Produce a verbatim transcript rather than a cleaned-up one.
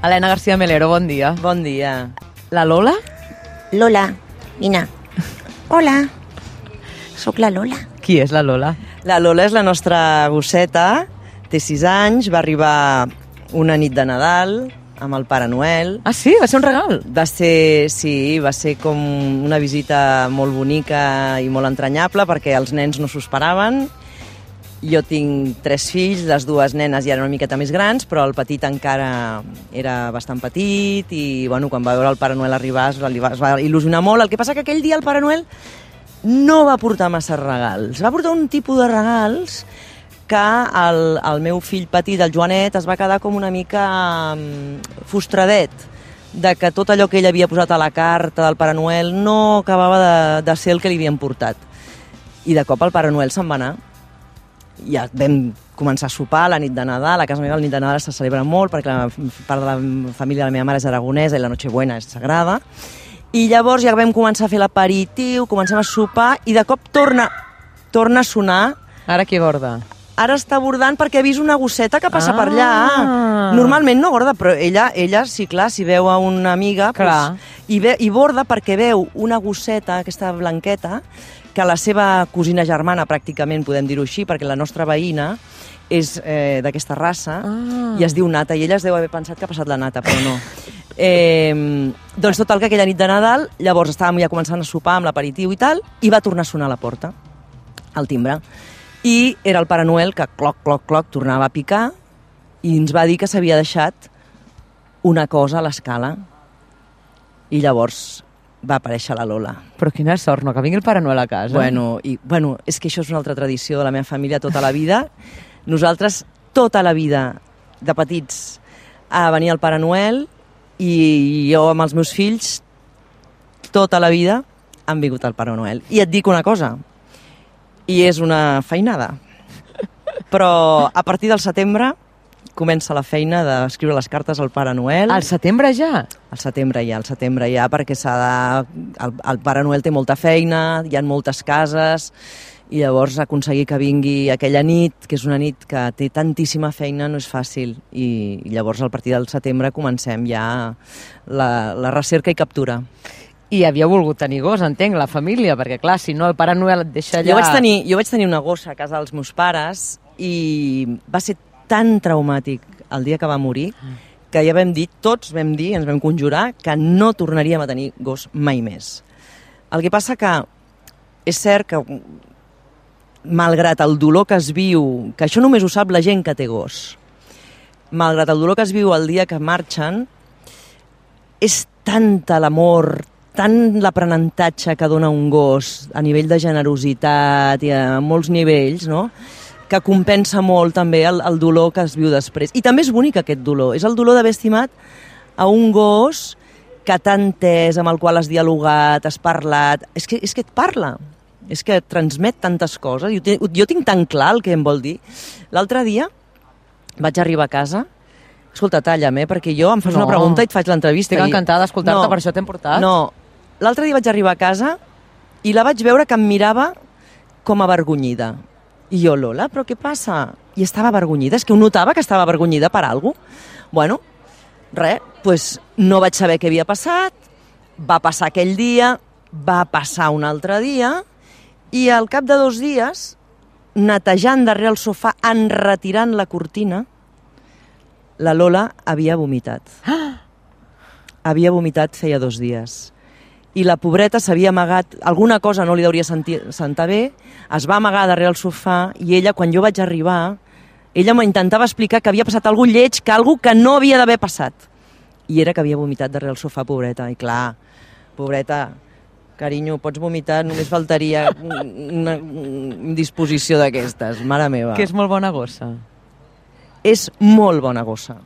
Helena García Melero, bon dia. Bon dia. La Lola? Lola, vine. Hola, sóc la Lola. Qui és la Lola? La Lola és la nostra gosseta, té sis anys, va arribar una nit de Nadal amb el Pare Noel. Ah, sí? Va ser un regal? Va ser, sí, va ser com una visita molt bonica i molt entranyable perquè els nens no s'ho esperaven. Jo tinc tres fills, les dues nenes ja eren una miqueta més grans, però el petit encara era bastant petit i bueno, quan va veure el Pare Noel arribar es va, es va il·lusionar molt. El que passa que aquell dia el Pare Noel no va portar massa regals. Va portar un tipus de regals que el, el meu fill petit, el Joanet, es va quedar com una mica um, frustradet de que tot allò que ell havia posat a la carta del Pare Noel no acabava de, de ser el que li havien portat. I de cop el Pare Noel se'n va anar. Ja vam començar a sopar la nit de Nadal. A casa meva la nit de Nadal se celebra molt perquè la part de la família de la meva mare és aragonesa i la Nochebuena és sagrada. I llavors ja vam començar a fer l'aperitiu, comencem a sopar i de cop torna, torna a sonar. Ara qui borda? Ara està bordant perquè ha vist una gosseta que passa Ah. per allà. Normalment no borda, però ella, ella sí, clar, si veu a una amiga Clar. Pues, i, ve, i borda perquè veu una gosseta, aquesta blanqueta, que la seva cosina germana, pràcticament, podem dir-ho així, perquè la nostra veïna és eh, d'aquesta raça Ah. i es diu Nata, i ella es deu haver pensat que ha passat la Nata, però no. Eh, doncs total, que aquella nit de Nadal, llavors estàvem ja començant a sopar amb l'aperitiu i tal, i va tornar a sonar a la porta, al timbre. I era el Pare Noel que cloc, cloc, cloc, tornava a picar i ens va dir que s'havia deixat una cosa a l'escala. I llavors va aparèixer la Lola. Però quina sort, no? Que vingui el Pare Noel a casa. Bueno, i, bueno, és que això és una altra tradició de la meva família tota la vida. Nosaltres, tota la vida, de petits, a venir al Pare Noel i jo amb els meus fills, tota la vida, han vingut al Pare Noel. I et dic una cosa, i és una feinada, però a partir del setembre comença la feina d'escriure les cartes al Pare Noel. Al setembre ja? Al setembre ja, al setembre ja, perquè s'ha de... El, el Pare Noel té molta feina, hi ha moltes cases, i llavors aconseguir que vingui aquella nit, que és una nit que té tantíssima feina, no és fàcil. I, i llavors, a partir del setembre, comencem ja la, la recerca i captura. I havia volgut tenir gos, entenc, la família, perquè clar, si no el Pare Noel et deixa allà... Jo vaig tenir, jo vaig tenir una gossa a casa dels meus pares i va ser tan traumàtic el dia que va morir que ja vam dir, tots vam dir, ens vam conjurar, que no tornaríem a tenir gos mai més. El que passa que és cert que, malgrat el dolor que es viu, que això només ho sap la gent que té gos, malgrat el dolor que es viu el dia que marxen, és tanta l'amor, tant l'aprenentatge que dona un gos a nivell de generositat i a molts nivells, no?, que compensa molt també el, el dolor que es viu després. I també és bonic aquest dolor, és el dolor d'haver estimat a un gos que t'ha entès, amb el qual has dialogat, has parlat, és que, és que et parla, és que et transmet tantes coses, jo, jo tinc tan clar el que em vol dir. L'altre dia vaig arribar a casa, escolta, talla'm, eh, perquè jo em fas No. una pregunta i et faig l'entrevista. Estic i- encantada d'escoltar-te, No, per això t'hem portat. No, l'altre dia vaig arribar a casa i la vaig veure que em mirava com avergonyida. I jo, Lola, però què passa? I estava avergonyida, és que ho notava que estava avergonyida per alguna cosa. Bueno, res, doncs no vaig saber què havia passat, va passar aquell dia, va passar un altre dia, i al cap de dos dies, netejant darrere el sofà, enretirant la cortina, la Lola havia vomitat. Havia vomitat feia dos dies. I la pobreta s'havia amagat, alguna cosa no li hauria sentir, sentar bé, es va amagar darrere el sofà i ella, quan jo vaig arribar, ella m'intentava explicar que havia passat alguna lleig, que alguna que no havia d'haver passat. I era que havia vomitat darrere el sofà, pobreta. I clar, pobreta, carinyo, pots vomitar, només faltaria una, una disposició d'aquestes, mare meva. Que és molt bona gossa. És molt bona gossa.